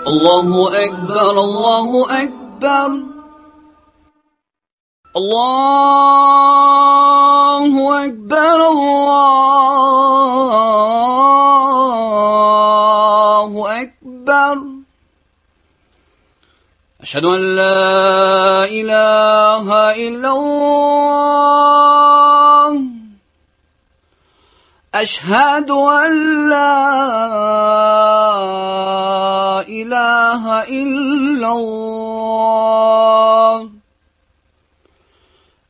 الله أكبر الله أكبر الله أكبر الله أكبر أشهد أن لا إله إلا الله أشهد أن لا إله إلا الله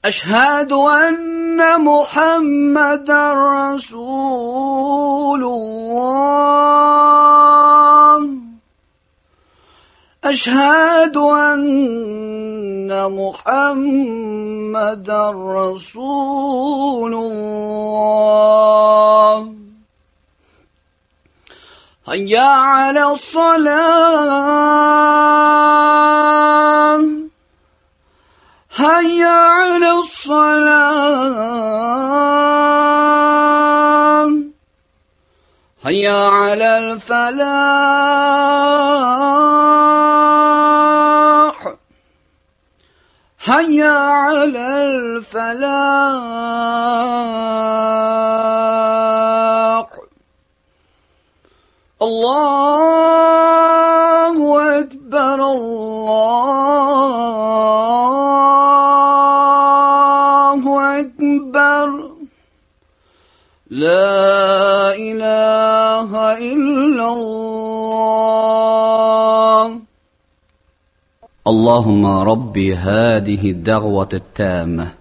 أشهد أن محمدا رسول الله أشهد أن محمدا رسول الله هيا على الصلاة هيا على الصلاة هيا على الفلاح هيا على الفلاح الله أكبر الله أكبر لا إله إلا الله اللهم ربي هذه الدعوة التامة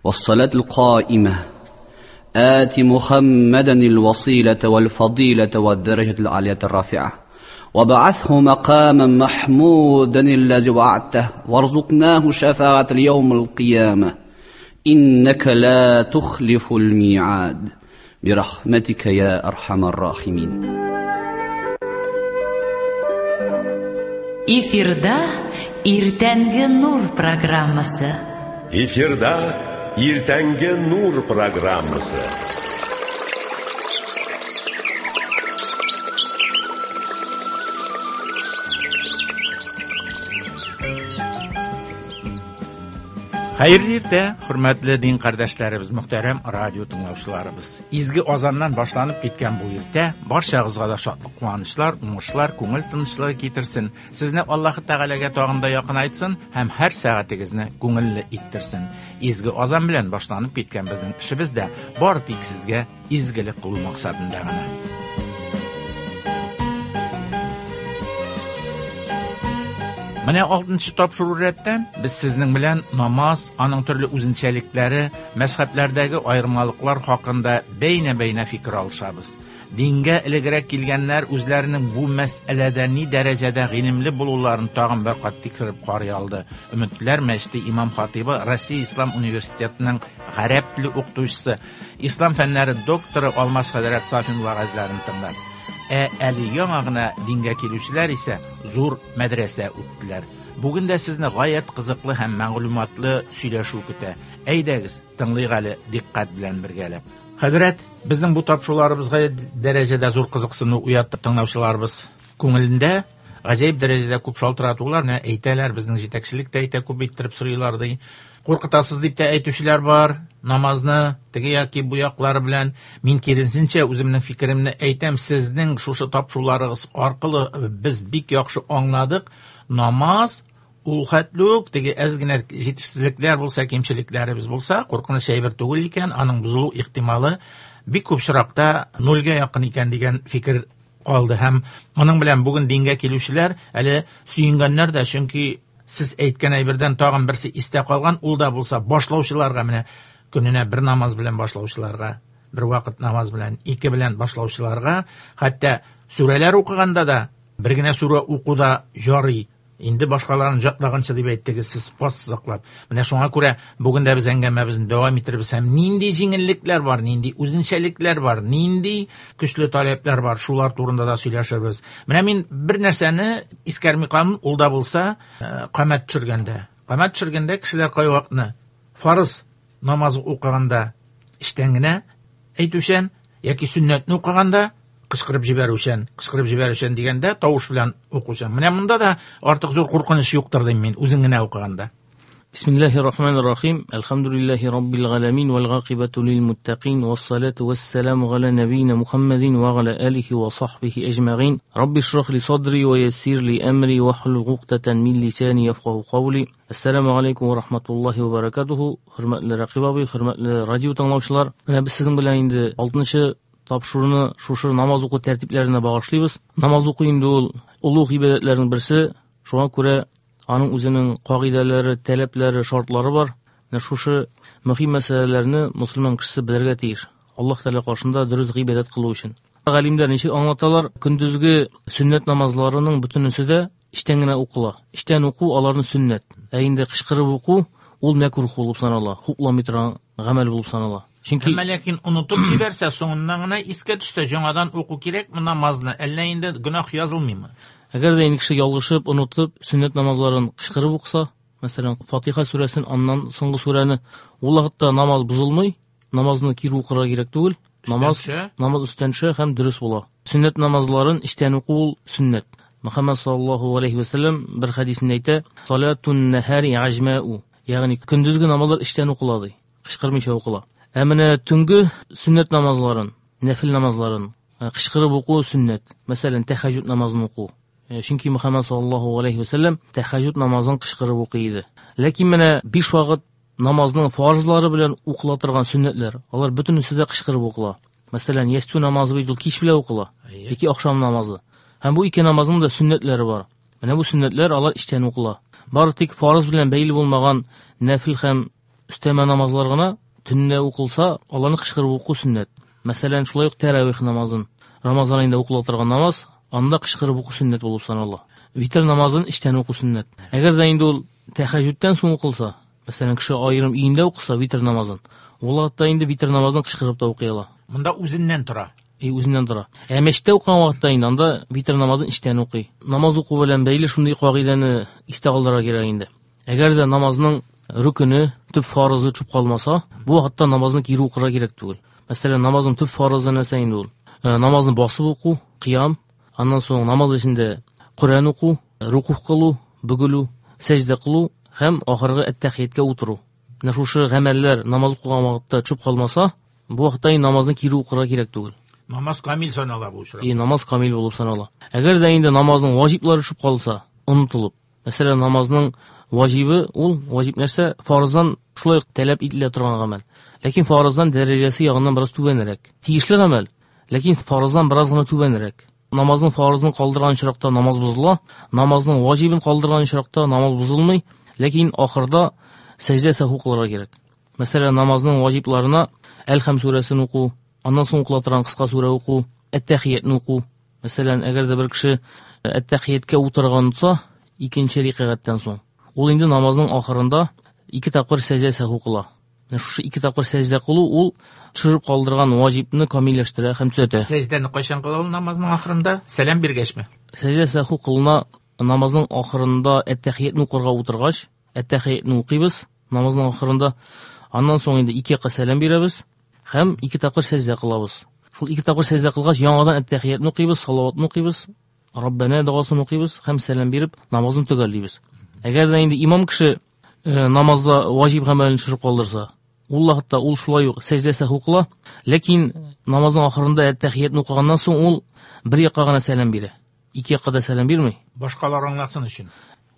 والصلاة القائمة آت محمدا الوسيلة والفضيلة والدرجة العالية الرافعة وابعثه مقاما محمودا الذي وعدته وارزقناه شفاعة اليوم القيامة إنك لا تخلف الميعاد برحمتك يا أرحم الراحمين. Эфирда Иртәнге Нур программасы. Эфирда Иртәнге Нур программасы. Хәерле иртә, хөрмәтле дин кардәшләребез, мөхтәрәм радио тыңлаучыларыбыз. Изге азаннан башланып киткән бу иртә барчагызга да шатлык, куанычлар, уңышлар, күңел тынычлыгы китерсен. Сезне Аллаһы Тәгаләгә тагын да якынайтсын һәм һәр сәгатегезне күңелле иттерсен. Изге азан белән башланып киткән безнең эшебез дә бары тик сезгә изгелек кылу максатында гына. Менә 6нчы тапшыру рәттән без сезнең белән намаз, аның төрле үзенчәлекләре, мәзһәбләрдәге аермалыклар хакында бәйнә-бәйнә фикер алышабыз. Дингә элегрәк килгәннәр үзләренең бу мәсьәләдә ни дәрәҗәдә гыйлемле булуларын тагын бер кат тикшереп карый алды. Өметләр мәчете имам хатибы, Россия Ислам университетының гарәп теле укытучысы, ислам фәннәре докторы Алмаз хәзрәт Сафин вәгазьләрен тыңлап. Ә әле яңа гына дингә килүчеләр исә зур мәдрәсә үттеләр. Бүген дә сезне гаять кызыклы һәм мәгълүматлы сөйләшү көтә. Әйдәгез, тыңлыйк әле дикъкать белән бергәләп. Хәзрәт, безнең бу тапшыруларыбыз гаять дәрәҗәдә зур кызыксыну уятты тыңлаучыларыбыз күңелендә. Гаҗәеп дәрәҗәдә күп шалтыратулар, менә әйтәләр, безнең җитәкчелек тә әйтә, күп иттереп сорыйлар ди. Куркытасыз дип тә әйтүчеләр бар, намазны теге яки бу яклары белән. Мин киресенчә үземнең фикеремне әйтәм, сезнең шушы тапшыруларыгыз аркылы без бик яхшы аңладык, намаз ул хәтле үк теге әз генә җитешсезлекләр булса, кимчелекләребез булса, куркыныч әйбер түгел икән, аның бозылу ихтималы бик күп очракта нульгә якын икән дигән фикер калды. Һәм моның белән бүген дингә килүчеләр әле сөенгәннәр дә, чөнки сез әйткән әйбердән тагын берсе истә калган, ул да булса башлаучыларга, менә көненә бер намаз белән башлаучыларга, бер вакыт намаз белән, ике белән башлаучыларга, хәтта сүрәләр укыганда да бер генә сүрә уку да ярый. Инде башкаларын җатлаганчы дип әйттегез сез ассызыклап. Менә шуңа күрә бүген дә без әңгәмәбезне дәвам итербез һәм нинди җиңеллекләр бар, нинди үзенчәлекләр бар, нинди көчле таләпләр бар, шулар турында да сөйләшербез. Менә мин бер нәрсәне искәрми калмыйм, ул да булса, камәт төшергәндә. Камәт төшергәндә кешеләр кайвакытны фарыз намазы укыганда эчтән генә әйтүчән яки сөннәтне укыганда Кычкырып җибәрүчән, кычкырып җибәрүчән дигәндә тавыш белән укучан. Менә монда да артык зур куркыныч юктыр дим мин, үзең генә укыганда. Бисмиллахир рахманир рахим. Әлхәмдүлилләһи раббил галәмин вәл гакыйбату лил муттакин вассалату вассаламу галя нәбиина Мухаммадин ва галя алихи ва сахбихи әҗмәгыйн. Рабби шрах ли садри ва яссир ли әмри вахлул гуктатан мин лисани яфкаху кавли. Ассаламу алейкум ва рахматуллахи ва баракатуху. Хөрмәтле Рәкыйп абый, хөрмәтле радио тыңлаучылар. Менә без сезнең белән инде 6нчы тапшыруны шушы намаз уку тәртипләренә багышлыйбыз. Намаз уку инде ул олуг гыйбадәтләрнең берсе. Шуңа күрә аның үзенең кагыйдәләре, таләпләре, шартлары бар. Менә шушы мөһим мәсьәләләрне мөселман кешесе белергә тиеш. Аллаһ Тәгалә каршында дөрес гыйбадәт кылу өчен. Галимнәр ничек аңлаталар? Көндезге сөннәт намазларының бөтенесе дә эчтән генә укыла. Эчтән уку аларны сөннәт. Ә инде кычкырып уку ул мәкрух булып санала, хупламый торган гамәл булып санала. Чөнки Әмма ләкин онытып җибәрсә, соңыннан гына искә төшсә, яңадан уку кирәкме намазны, әллә инде гөнаһ язылмыймы? Әгәр дә инде кеше ялгышып, онытып, сөннәт намазларын кычкырып укыса, мәсәлән, Фатиха сүрәсен, аннан соңгы сүрәне, ул вакытта намаз бозылмый, намазны кире укырга кирәк түгел, намаз өстән төшә һәм дөрес була. Сөннәт намазларын эчтән уку ул сөннәт. Мөхәммәд саллаллаһу алейхи ва сәлләм бер хәдисендә әйтә, Салатун нахари аҗмау, ягъни көндезге намазлар эчтән укыла ди, кычкырмыйча укыла. Ә менә төнге сөннәт намазларын, нәфил намазларын кычкырып уку сөннәт. Мәсәлән, тәһәҗҗүд намазын уку. Чөнки Мөхәммәд саллаллаһу алейхи ва сәлләм тәһәҗҗүд намазын кычкырып укый иде. Ләкин менә 5 вакыт намазның фарызлары белән укыла торган сөннәтләр, алар бөтенесе дә кычкырып укыла. Мәсәлән, ястү намазы бит ул кич белән укыла, яки ахшам намазы. Һәм бу ике намазның да сөннәтләре бар. Менә бу сөннәтләр алар эчтән укыла. Бары тик фарыз белән бәйле булмаган нәфил һәм өстәмә намазлар гына төнлә укылса, аларны кычкырып уку сөннәт. Мәсәлән, шулай ук тәравих намазын, Рамазан аенда укыла торган намаз, анда кычкырып уку сөннәт булып санала. Витр намазын эчтән уку сөннәт. Әгәр дә инде ул тәһәҗҗүдтән соң укылса, мәсәлән, кеше аерым өендә укыса витр намазын, ул вакытта инде витр намазын кычкырып та укый ала. Монда үзеннән тора. Үзеннән тора. Ә мәчеттә укыган вакытта инде анда витр намазын эчтән укый. Намаз уку белән бәйле шундый кагыйдәне истә калдырырга кирәк инде. Әгәр дә намазның рүкене, төп фарызы төшеп калмаса, бу вакытта намазны кире укырга кирәк түгел. Мәсәлән, намазның төп фарызы нәрсә инде ул? Намазны басып уку, кыям, аннан соң намаз эчендә Коръән уку, рукух кылу, бөгелү, сәҗдә кылу һәм ахыргы әт-тәхияткә утыру. Менә шушы гамәлләр намаз укыган вакытта төшеп калмаса, бу вакытта инде намазны кире укырга кирәк түгел. Намаз камил санала бу очракта. Намаз камил булып санала. Әгәр дә инде намазның ваҗиблары төшеп калса, онытылып, мәсәлән, намазның ваҗибы ул ваҗиб нәрсә? Фарыздан шулай ук таләп ителә торган гамәл. Ләкин фарыздан дәрәҗәсе ягыннан бераз түбәнрәк. Тиешле гамәл, ләкин фарыздан бераз гына түбәнрәк. Намазның фарызын калдырган очракта намаз бозыла, намазның ваҗибын калдырган очракта намаз бозылмый, ләкин ахырда сәҗдә сәһу кылырга кирәк. Мәсәлән, намазның ваҗибларына Әл-Хәм сүрәсен уку, аннан соң укыла торган кыска сүрә уку, Әт-Тәхиятне уку. Мәсәлән, әгәр дә бер кеше Әт-Тәхияткә утырган онытса, икенче рикәгатьтән соң, ул инде намазның ахырында 2 тапкыр сәҗдә сәһу кыла. Менә шушы 2 тапкыр сәҗдә кылу ул төшереп калдырган ваҗибны камилләштерә һәм төзәтә. Сәҗдәне кайчан кыла ул намазның ахырында? Сәлам биргәчме? Сәҗдә сәһу кылына намазның ахырында әт-тәхиятне укырга утыргач, әт-тәхиятне укыйбыз намазның ахырында. Аннан соң инде 2 якка сәлам бирәбез һәм 2 тапкыр сәҗдә кылабыз. Шул 2 тапкыр сәҗдә кылгач, яңадан әт-тәхиятне укыйбыз, салаватны укыйбыз, Раббана догасын укыйбыз һәм сәлам биреп намазны төгәллибез. Әгәр дә инде имам кеше намазда ваҗиб гамәлен төшереп калдырса, ул вакытта ул шулай ук сәҗдә сәһу кыла, ләкин намазның ахырында әт-тәхиятне укыганнан соң ул бер якка гына сәлам бирә. 2 якка да сәлам бирми. Башкалар аңласын өчен.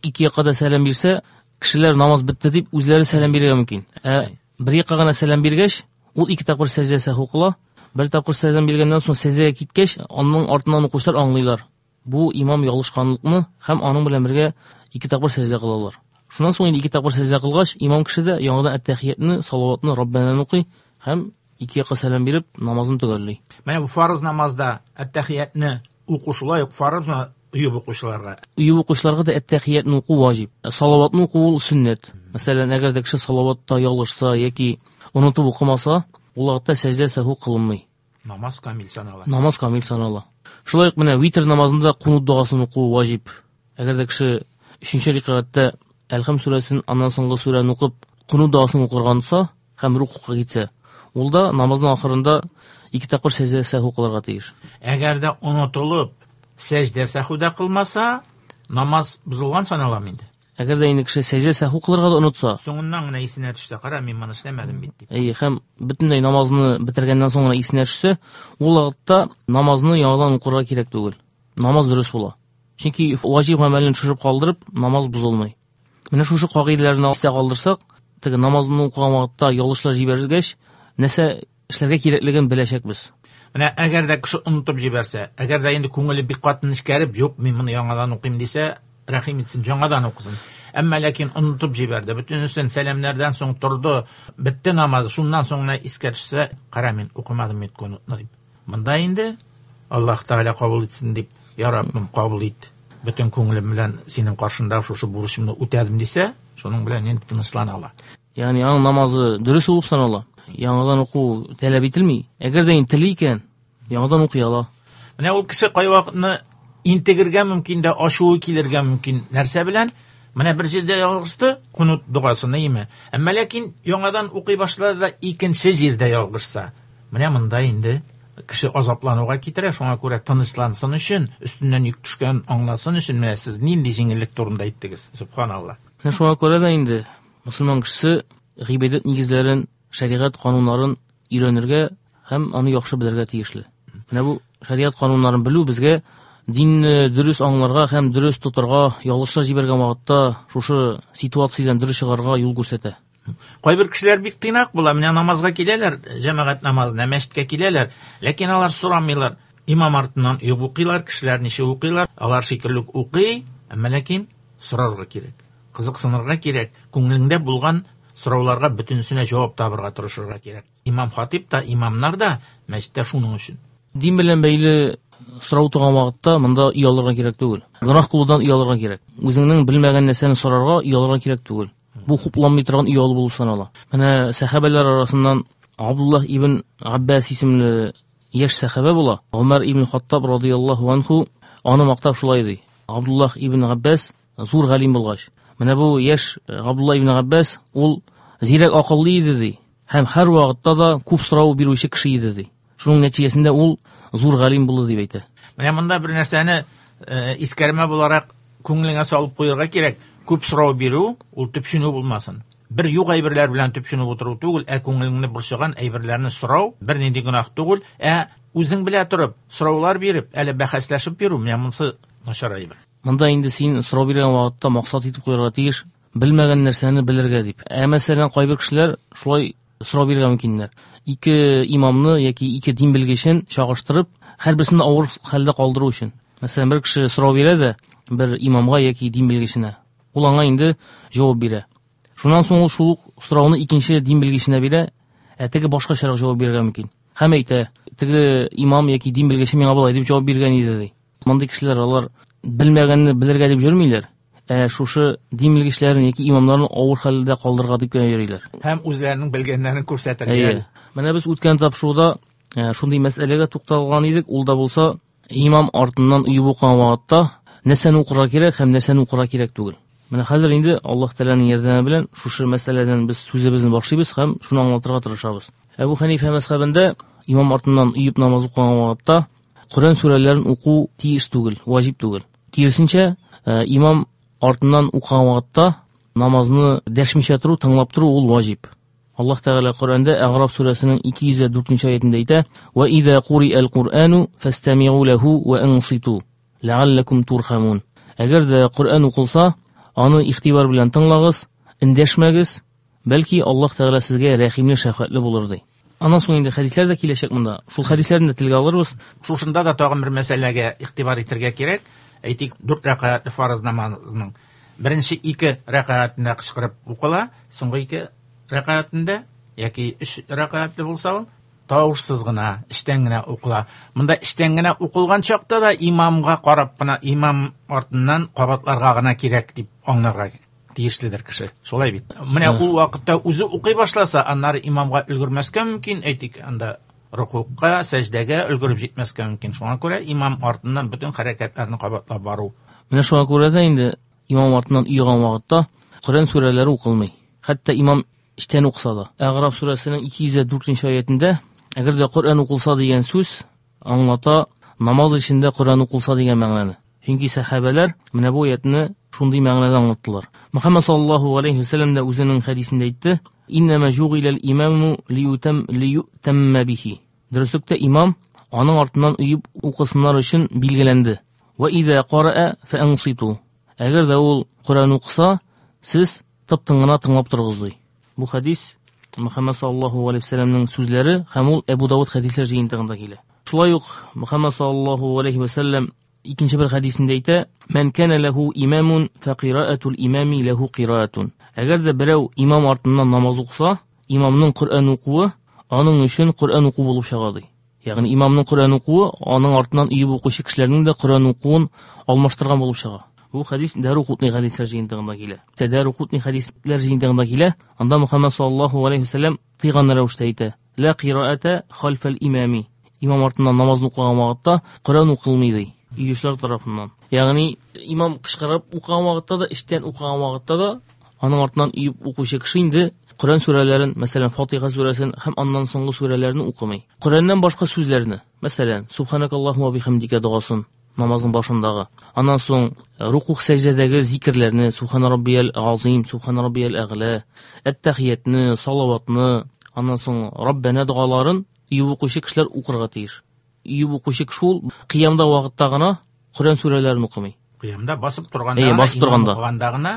2 якка да сәлам бирсә, кешеләр намаз бетте дип үзләре сәлам бирергә мөмкин. Ә бер якка гына сәлам биргәч, ул 2 тапкыр сәҗдә сәһу кыла. Бер тапкыр сәлам биргәннән соң сәҗдәгә киткәч, аның артыннан укучылар аңлыйлар. Бу имам ялгышканлыкны һәм аның белән бергә 2 тапкыр сәҗдә кылалар. Шуннан соң инде 2 тапкыр сәҗдә кылгач, имам кеше дә яңадан әт-тәхиятне, салаватны, Раббананы укый һәм 2 якка сәлам биреп намазын төгәлли. Менә бу фарыз намазда әт-тәхиятне уку шулай ук фарызмы өеп укучыларга? Өеп укучыларга да әт-тәхиятне уку ваҗиб. Салаватны уку ул сөннәт. Мәсәлән, әгәр дә кеше салаватта ялгышса яки онытып укымаса, ул вакытта сәҗдә сәһу кылынмый. Намаз камил санала. Намаз камил санала. Шулай ук менә витр намазында кунут догасын уку ваҗиб. Әгәр дә кеше 3нче рикәгатьтә Әл-Хәм сүрәсен, аннан соңгы сүрәне укып, кунут догасын укырга онытса һәм рукугка китсә, Ул да намазның ахырында ике тапкыр сәҗдә сәһү кылырга тиеш. Әгәр дә онытылып сәҗдә сәһү дә кылмаса, намаз бозылган саналамы инде? Әгәр дә инде кеше сәҗдә сәһү кылырга да онытса, соңыннан гына исенә төшсә, кара, мин моны эшләмәдем бит дип. Әйе, һәм бөтенләй намазны бетергәннән соң гына исенә төшсә, ул вакытта намазны яңадан укырга кирәк түгел. Намаз дөрес була. Чөнки ваҗиб гамәлен төшереп калдырып, намаз бозылмый. Менә шушы кагыйдәләрне истә калдырсак, теге намазны укыган вакытта ялгышлар җибәргәч, нәрсә эшләргә кирәклеген беләчәкбез. Менә әгәр дә кеше онытып җибәрсә, әгәр дә инде күңеле бик каты нечкәреп, юк, мин моны яңадан укыйм дисә, рәхим итсен, яңадан укысын. Әмма ләкин онытып җибәрде, бөтенесен сәламнәрдән соң торды, бетте намаз, шуннан соң гына искә төшсә, кара, мин укымадым бит кунутны дип. Монда инде Аллаһ Тәгалә кабул итсен дип, я Раббым, кабул ит. Бөтен күңелем белән синең каршында шушы бурычымны үтәдем дисә, шуның белән инде тынычлана ала. Ягъни аның намазы дөрес булып санала. Яңадан уку таләп ителми. Әгәр дә инде тели икән, яңадан укый ала. Менә ул кеше кайвакытны интегергә мөмкин дә, ачуы килергә мөмкин. Нәрсә белән? Менә бер җирдә ялгышты, кунут догасын, име? Әмма ләкин яңадан укый башлады да икенче җирдә ялгышса. Менә монда инде кеше азаплануга китерә, шуңа күрә тынычлансын өчен, өстеннән йөк төшкән аңласын өчен менә сез нинди җиңеллек турында әйттегез, субханалла. Менә шуңа күрә дә инде мөселман кешесе гыйбадәт нигезләрен, шәригать кануннарын өйрәнергә һәм аны яхшы белергә тиешле. Менә бу шәригать кануннарын белү безгә динне дөрес аңларга һәм дөрес тотарга, ялгышлар җибәргән вакытта шушы ситуациядән дөрес чыгарга юл күрсәтә. Кайбер кешеләр бик тыйнак була, менә намазга киләләр, җәмәгать намазына, мәчеткә киләләр, ләкин алар сорамыйлар. Имам артыннан оеп укыйлар, кешеләр ничек укыйлар, алар шикелле үк укый, әмма ләкин сорарга кирәк, кызыксынырга кирәк, күңелеңдә булган сорауларга бөтенесенә җавап табырга тырышырга кирәк. Имам хатип та, имамнар да мәчеттә шуның өчен. Дин белән бәйле сорау туган вакытта монда оялырга кирәк түгел. Гөнаһ кылудан оялырга кирәк. Үзеңнең белмәгән нәрсәне сорарга оялырга кирәк түгел. Бу хупланмый торган оялу булып санала. Менә сәхабәләр арасыннан Абдуллаһ ибн Аббас исемле яшь сәхабә була. Гомәр ибн Хаттаб радыяллаһу анху аны мактап шулай ди. Абдуллаһ ибн Аббас зур галим булгач, менә бу яшь Абдуллаһ ибн Аббас ул зирәк акыллы иде ди. Һәм һәр вакытта да күп сорау бирүче кеше иде ди. Шуның нәтиҗәсендә ул зур галим булды дип әйтә. Менә монда бер нәрсәне искәрмә буларак күңелеңә салып куярга кирәк. Күп сорау бирү ул төпченү булмасын. Бер юк әйберләр белән төпченеп утыру түгел, ә күңелеңне борчыган әйберләрне сорау бернинди гөнаһ түгел, ә үзең белә торып сораулар биреп, әле бәхәсләшеп йөрү, менә монысы начар әйбер. Монда инде син сорау биргән вакытта максат итеп куярга тиеш, белмәгән нәрсәне белергә дип. Ә мәсәлән, кайбер кешеләр шулай сорау бирергә мөмкиннәр. Ике имамны яки ике дин белгечен чагыштырып, һәрберсен авыр хәлдә калдыру өчен. Мәсәлән, бер кеше сорау бирә дә бер имамга яки дин белгеченә. Ул аңа инде җавап бирә. Шуннан соң ул шул ук сорауны икенче дин белгеченә бирә, ә теге башкачарак җавап бирергә мөмкин. Һәм әйтә, теге имам яки дин белгече миңа болай дип җавап биргән иде ди. Мондый кешеләр алар белмәгәнне белергә дип йөрмиләр, ә шушы дин белгечләрен яки имамнарны авыр хәлдә калдырырга дип кенә йөриләр. Һәм үзләренең белгәннәрен күрсәтергә. Әйе. Менә без үткән тапшыруда шундый мәсьәләгә тукталган идек, ул да булса имам артыннан оеп укыган вакытта нәрсәне укырга кирәк һәм нәрсәне укырга кирәк түгел. Менә хәзер инде Аллаһ Тәгаләнең ярдәме белән шушы мәсьәләдән без сүзебезне башлыйбыз һәм шуны аңлатырга тырышабыз. Әбу Хәнифә мәзһәбендә имам артыннан оеп намаз укыган вакытта Коръән сүрәләрен уку тиеш түгел, ваҗиб түгел. Киресенчә, имам артыннан укыган вакытта намазны дәшмичә тору, тыңлап тору ул ваҗиб. Аллаһ Тәгалә Коръәндә Әгъраф сүрәсенең 204 аятендә әйтә: "Ва иза куриал Куръану фастамиу лаху ва анситу ләаллакум турхамун". Әгәр дә Коръән укылса, аны игътибар белән тыңлагыз, эндәшмәгез, бәлки Аллаһ Тәгалә сезгә рәхимле, шәфкатьле булыр ди. Аннан соң инде хәдисләр дә киләчәк монда. Шул хәдисләрне дә телгә алырбыз. Шушында да тагын бер мәсьәләгә игътибар итәргә кирәк. Әйтик, 4 рәкәгатьле фарыз намазының беренче 2 рәкәгатендә кычкырып укыла, соңгы 2 рәкәгатендә яки 3 рәкәгатьле булса ул тавышсыз гына, эчтән генә укыла. Монда эчтән генә укылган чакта да имамга карап кына, имам артыннан кабатларга гына кирәк дип аңларга тиешледер кеше. Шулай бит. Менә ул вакытта үзе укый башласа, аннары имамга өлгермәскә мөмкин, әйтик, анда рукугка, сәҗдәгә өлгереп җитмәскә мөмкин. Шуңа күрә имам артыннан бөтен хәрәкәтләрне кабатлап бару. Менә шуңа күрә дә инде имам артыннан уйган вакытта Коръән сүрәләре укылмый. Хәтта имам эчтән укыса да. Әгъраф сүрәсенең 204 аятендә әгәр дә Коръән укылса дигән сүз аңлата намаз эчендә Коръән укылса дигән мәгънәне. Чөнки сәхабәләр менә бу аятны шундый мәгънәдә аңлаттылар. Мөхәммәд саллаллаһу алейхи ва сәлләм дә үзенең хәдисендә әйтте: "Иннама жугилал имаму лиютам лиютамма бихи." Дөреслектә имам аның артыннан өеп укысыннар өчен билгеләнде. Ва иза караа фаанситу. Әгәр дә ул Коръән укыса, сез тып-тын гына тыңлап торыгыз ди. Бу хәдис Мөхәммәд саллаллаһу алейхи ва сәлләмнең сүзләре һәм ул Әбу Давыд хәдисләр җыентыгында килә. Шулай ук Мөхәммәд саллаллаһу алейхи ва сәлләм икенче бер хәдисендә әйтә: "Мән кана ләһу имамун фақираатул имами ләһу кираатун." Әгәр дә берәү имам артыннан намаз укыса, имамның Коръән укуы аның өчен Коръән уку булып чыга ди. Ягъни имамның Коръән укуы аның артыннан өеп укучы кешеләрнең дә Коръән укуын алмаштырган булып чыга. Бу хәдис Дару-Кутни хәдисләр җыентыгында килә. Дару-Кутни хәдисләр җыентыгында килә. Анда Мөхәммәд саллаллаһу алейхи ва сәлләм тыйган рәвештә әйтә: "Ла кираата халфал имами." Имам артыннан намазны укыган вакытта Коръән укылмый ди. Өйүчеләр тарафыннан. Ягъни имам кычкырып укыган вакытта да, эчтән укыган вакытта да аның артыннан өеп укучы кеше инде Коръән сүрәләрен, мәсәлән, Фатиха сүрәсен һәм аннан соңгы сүрәләрне укымый. Коръәннән башка сүзләрне, мәсәлән, Субханакаллаһумма бихамдика догасын намазның башындагы. Аннан соң рукух сәҗдәдәге зикерләрне, Субхана раббиял азим, Субхана раббиял әгълә, әт-тахиятны, салаватны, аннан соң Раббана догаларын өеп укучы кешеләр укырга тиеш. Өеп укучы кеше ул кыямда вакытта гына Коръән сүрәләрен укымый. Кыямда басып торганда, Әйе, басып торганда, укыганда гына,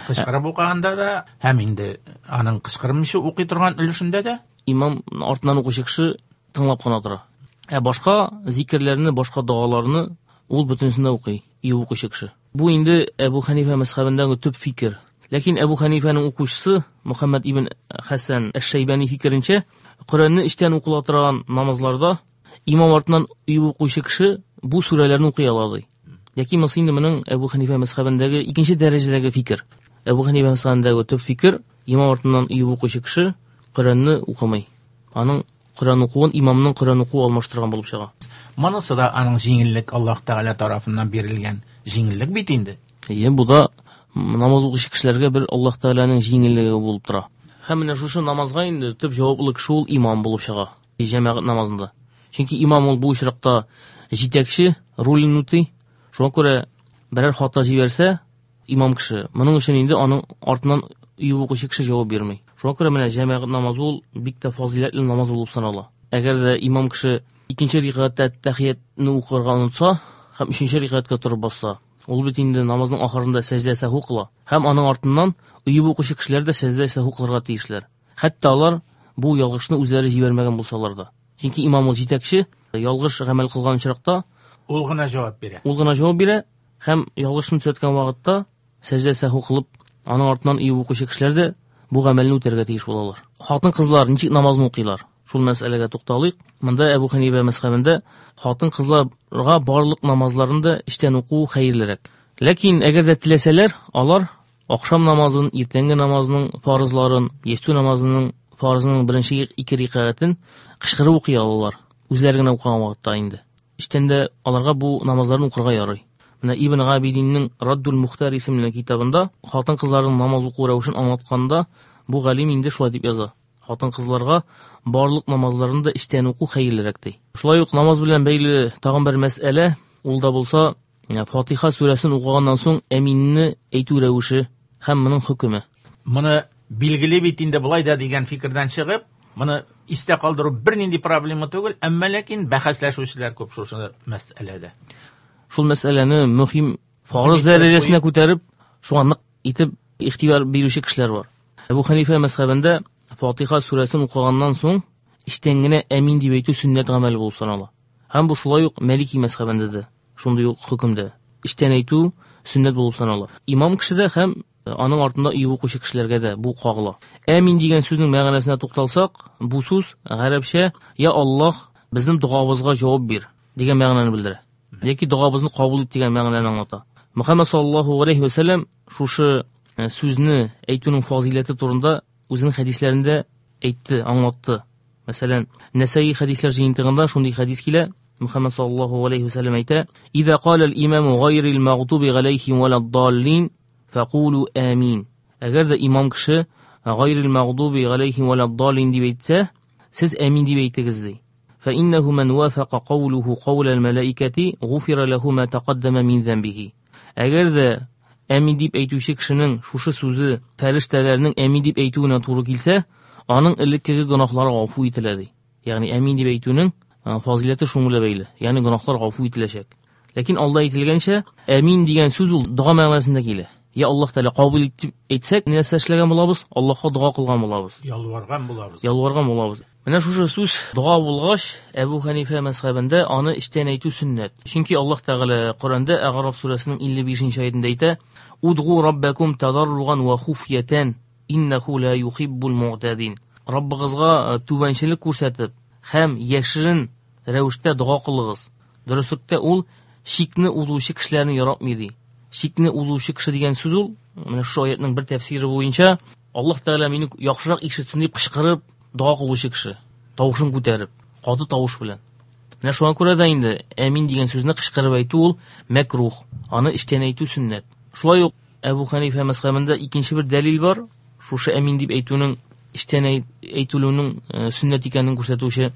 кычкырып укыганда да, һәм инде аның кычкырмыйча укый торган өлешендә дә имам артыннан укучы кеше тыңлап кына тора. Ә башка зикерләрне, башка догаларны ул бөтенесен дә укый, өеп укучы кеше. Бу инде Әбу Хәнифә мәзхәбендәге төп фикер. Ләкин Әбу Хәнифәнең укучысы Мөхәммәд ибн Хәсән әш-Шәйбани фикеренчә, Коръәнне эчтән укыла торган намазларда имам артыннан өеп укучы кеше бу сүрәләрне укый ала ди. Яки монысы инде моның Әбу Хәнифә мәзхәбендәге икенче дәрәҗәдәге фикер. Әбу Хәнифә мәзхәбендәге төп фикер имам артыннан өеп укучы кеше Коръәнне укымый. Аның Коръән укуын имамның Коръән укуы алмаштырган булып чыга. Монысы да аның җиңеллек Аллаһ Тәгалә тарафыннан бирелгән җиңеллек бит инде. Әйе, бу да намаз укучы кешеләргә бер Аллаһ Тәгаләнең җиңеллеге булып тора. Һәм менә шушы намазга инде төп җаваплы кеше ул имам булып чыга җәмәгать намазында. Чөнки имам ул бу очракта җитәкче ролен үти. Шуңа күрә берәр хата җибәрсә, имам кеше, моның өчен инде аның артыннан өеп укучы кеше җавап бирми. Шуңа күрә менә җәмәгать намазы ул бик тә фазыйләтле намаз булып санала. Әгәр дә имам кеше икенче рикәгатьтә тәхиятне укырга онытса һәм өченче рикәгатькә торып басса, ул бит инде намазның ахырында сәҗдә сәһу кыла. Һәм аның артыннан өеп укучы кешеләр дә сәҗдә сәһу кылырга тиешләр. Хәтта алар бу ялгышны үзләре җибәрмәгән булсалар да. Чөнки имам ул җитәкче, ялгыш гамәл кылган очракта ул гына җавап бирә. Ул гына җавап бирә һәм ялгышны төзәткән вакытта сәҗдә сәһу кылып, аның артыннан өеп укучы кешеләр дә бу гамәлне үтәргә тиеш булалар. Хатын-кызлар ничек намазны укыйлар? Шул мәсьәләгә тукталыйк. Монда Әбу Хәнифә мәзхәбендә хатын-кызларга барлык намазларын да эчтән уку хәерлерәк. Ләкин әгәр дә теләсәләр, алар ахшам намазын, иртәнге намазның фарызларын, ястү намазының фарызының беренче ике рикәгатен кычкырып укый алалар. Үзләре генә укыган вакытта инде. Эчтән дә аларга бу намазларны укырга ярый. Менә Ибн Габидинның Раддул Мухтар исемле китабында хатын-кызларның намаз уку рәвешен аңлатканда бу галим инде шулай дип яза. Хатын-кызларга барлык намазларын да эчтән уку хәерлерәк ди. Шулай ук намаз белән бәйле тагын бер мәсьәлә, ул да булса Фатиха сүрәсен укыганнан соң әминне әйтү рәвеше һәм моның хөкеме. Моны билгеле бит инде болай да дигән фикердән чыгып, моны истә калдыру бернинди проблема түгел, әмма ләкин бәхәсләшүчеләр күп шушы мәсьәләдә. Шул мәсьәләне мөһим фарыз дәрәҗәсенә күтәреп, шуңа нык итеп игътибар бирүче кешеләр бар. Әбу Хәнифә мәзхәбендә Фатиха сүрәсен укыганнан соң эчтән генә әмин дип әйтү сөннәт гамәле булып санала. Һәм бу шулай ук Малики мәзхәбендә дә шундый ук хөкемдә. Эчтән әйтү сөннәт булып санала. Имам кеше дә һәм аның артында өеп укучы кешеләргә дә бу кагыла. Әмин дигән сүзнең мәгънәсенә тукталсак, бу сүз гарәпчә «Я Аллаһ, безнең догабызга җавап бир» дигән мәгънәне белдерә. Яки догабызны кабул ит дигән мәгънәне аңлата. Мөхәммәд саллаллаһу алейхи ва сәлләм шушы сүзне әйтүнең фазыйләте турында үзенең хәдисләрендә әйтте, аңлатты. Мәсәлән, Нәсәи хәдисләр җыентыгында шундый хәдис килә. Мөхәммәд саллаллаһу алейхи ва сәлләм әйтә: "Иза кала ал-имаму гайрил магъдуби галәйһим валад-даллин, фәкулу амин." Әгәр дә имам кеше Гайрил магъдуби галәйһим вәләд-даллин дип әйтсә, сез амин дип әйтегез ди. فإنه من وافق قوله قول الملائكة غفر له ما تقدم من ذنبه. Әгәр дә әмин дип әйтүче кешенең шушы сүзе фәрештәләрнең әмин дип әйтүенә туры килсә, аның элеккеге гөнаһлары гафу ителә ди. Ягъни әмин дип әйтүнең фазиләте шуның белән бәйле. Ягъни гөнаһлар гафу ителәчәк. Ләкин алда әйтелгәнчә, әмин дигән сүз ул дога мәгънәсендә килә. Я Аллаһ Тәгалә кабул итеп әйтсәк, нәрсә эшләгән булабыз? Аллаһка дога кылган булабыз. Ялварган булабыз. Ялварган булабыз. Менә шушы сүз дога булгач, Әбу Хәнифә мәзһәбендә аны эчтән әйтү сөннәт. Чөнки Аллаһ Тәгалә Коръәндә Әгъраф сүрәсенең 55 аятында әйтә: "Удгу раббакум тадарруган ва хуфьятан, иннаху ла юхиббул муътадин." Раббыгызга түбәнчелек күрсәтеп һәм яшерен рәвештә дога кылыгыз. Дөреслектә ул чикне узучы кешеләрне яратмый ди. Чикне узучы кеше дигән сүз ул, менә шушы аятның бер тәфсире буенча, Аллаһ Тәгалә мине яхшырак ишетсен дип кычкырып дога кылучы кеше, тавышын күтәреп, каты тавыш белән. Менә шуңа күрә дә инде әмин дигән сүзне кычкырып әйтү ул мәкрух, аны эчтән әйтү сөннәт. Шулай ук Әбу Хәнифә мәзһәбендә икенче бер дәлил бар, шушы әмин дип әйтүнең эчтән әйтелүенең сөннәт икәнен күрсәтүче.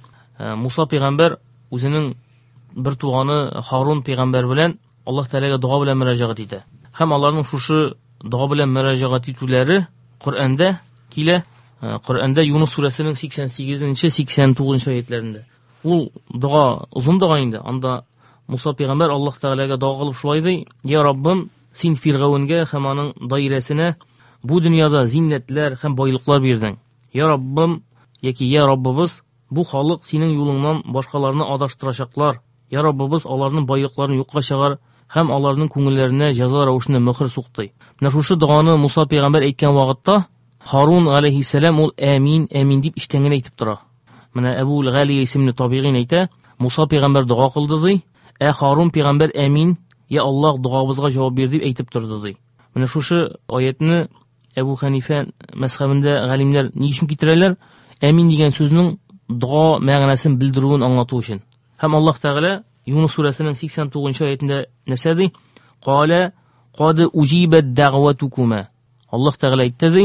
Муса пәйгамбәр үзенең бер туганы Харун пәйгамбәр белән Аллаһ Тәгаләгә дога белән мөрәҗәгать итә. Һәм аларның шушы дога белән мөрәҗәгать итүләре Коръәндә килә. Коръәндә Юнус сүрәсенең 88-89 аятләрендә. Ул дога озын дога инде. Анда Муса пәйгамбәр Аллаһ Тәгаләгә дога кылып шулай ди: "Я Раббым, син Фиргавенгә һәм аның даирәсенә бу дөньяда зиннәтләр һәм байлыклар бирдең. Я Раббым, яки я Раббыбыз, бу халык синең юлыңнан башкаларны адаштырачаклар. Я Раббыбыз, аларның байлыкларын юкка чыгар һәм аларның күңелләренә җәза рәвешендә мөһер сукты. Менә шушы доганы Муса пәйгамбәр әйткән вакытта Харун алейһиссәлам ул әмин, әмин дип эчтән генә әйтеп тора. Менә Әбу Галия исемле табигыйн әйтә, Муса пәйгамбәр дога кылды ди, ә Харун пәйгамбәр әмин, я Аллаһ догабызга җавап бир дип әйтеп торды ди. Менә шушы аятны Әбу Хәнифә мәзһәбендә галимнәр ни өчен китерәләр? Әмин дигән сүзнең дога мәгънәсен белдерүен аңлату өчен. Һәм Аллаһ Тәгалә Юнус сүрәсенең 89 аятында нәрсә ди? Калә кад уҗибат дәгъватукума. Аллаһ Тәгалә әйтте ди,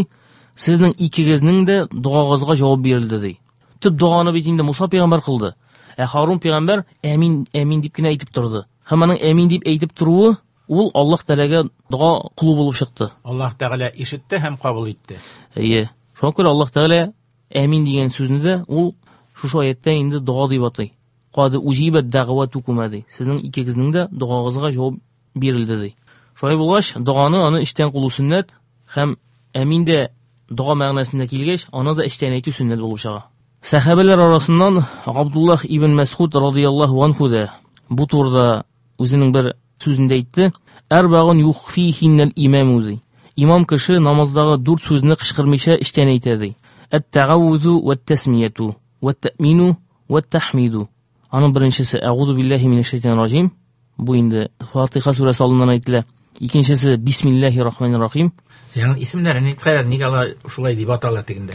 сезнең икегезнең дә догагызга җавап бирелде ди. Төп доганы бит инде Муса пәйгамбәр кылды. Ә Харун пәйгамбәр әмин, әмин дип кенә әйтеп торды. Һәм аның әмин дип әйтеп торуы ул Аллаһ Тәгаләгә дога кылу булып чыкты. Аллаһ Тәгалә ишетте һәм кабул итте. Әйе. Шуңа күрә Аллаһ Тәгалә әмин дигән сүзне дә ул шушы аяттә инде дога дип атый. Кад уҗибат дәгъватукума ди. Сезнең икегезнең дә догагызга җавап бирелде ди. Шулай булгач, доганы аны эчтән кылу сөннәт һәм әмин дә дога мәгънәсендә килгәч, аны да эчтән әйтү сөннәт булып чыга. Сәхабәләр арасыннан Габдуллаһ ибн Мәсгуд радыяллаһу анху да бу турыда үзенең бер сүзендә әйтте: "Арбагун юхфихиннал имаму" ди. Имам кеше намаздагы дүрт сүзне кычкырмыйча эчтән әйтә ди. Әт-тагавузу ват-тасмияту ват-таъмину ват-тахмиду. Аның беренчесе Әгъузу биллаһи минәш шайтанир раҗим. Бу инде Фатиха сүрәсе алдыннан әйтелә. Икенчесе Бисмиллаһир рахманир рахим. Синең исемнәрен әйткәләр, нигә алар шулай дип атала дигәндә?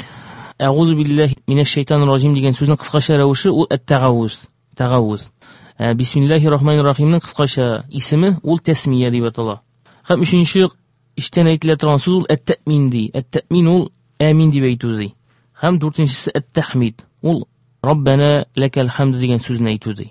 Әгъузу биллаһи минәш шайтанир раҗим дигән сүзнең кыскача рәвеше ул әт-тагавуз, тагавуз. Бисмиллаһир рахманир рахимның кыскача исеме ул тәсмия дип атала. Һәм өченче эчтән әйтелә торган сүз ул әт-тәэмин ди. Әт-тәэмин ул әмин дип әйтү ди. Һәм дүртенчесе әт-тәхмид. Ул Раббана лакал хамд дигән сүзне әйтү ди.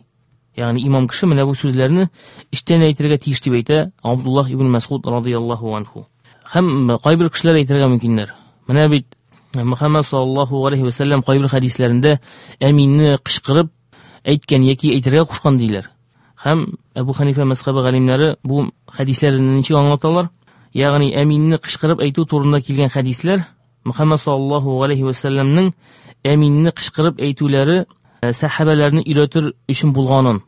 Ягъни имам кеше менә бу сүзләрне эчтән әйтергә тиеш дип әйтә Абдуллаһ ибн Мәсгуд радыяллаһу анху. Һәм кайбер кешеләр әйтергә мөмкиннәр. Менә бит Мөхәммәд саллаллаһу алейһи ва сәлләм кайбер хәдисләрендә әминне кычкырып әйткән яки әйтергә кушкан диләр. Һәм Әбу Хәнифә мәзһәбе галимнәре бу хәдисләрне ничек аңлаталар? Ягъни әминне кычкырып әйтү турында килгән хәдисләр Мөхәммәд саллаллаһу алейһи ва сәлләмнең әминне кычкырып әйтүләре сәхабәләрне өйрәтер өчен булганын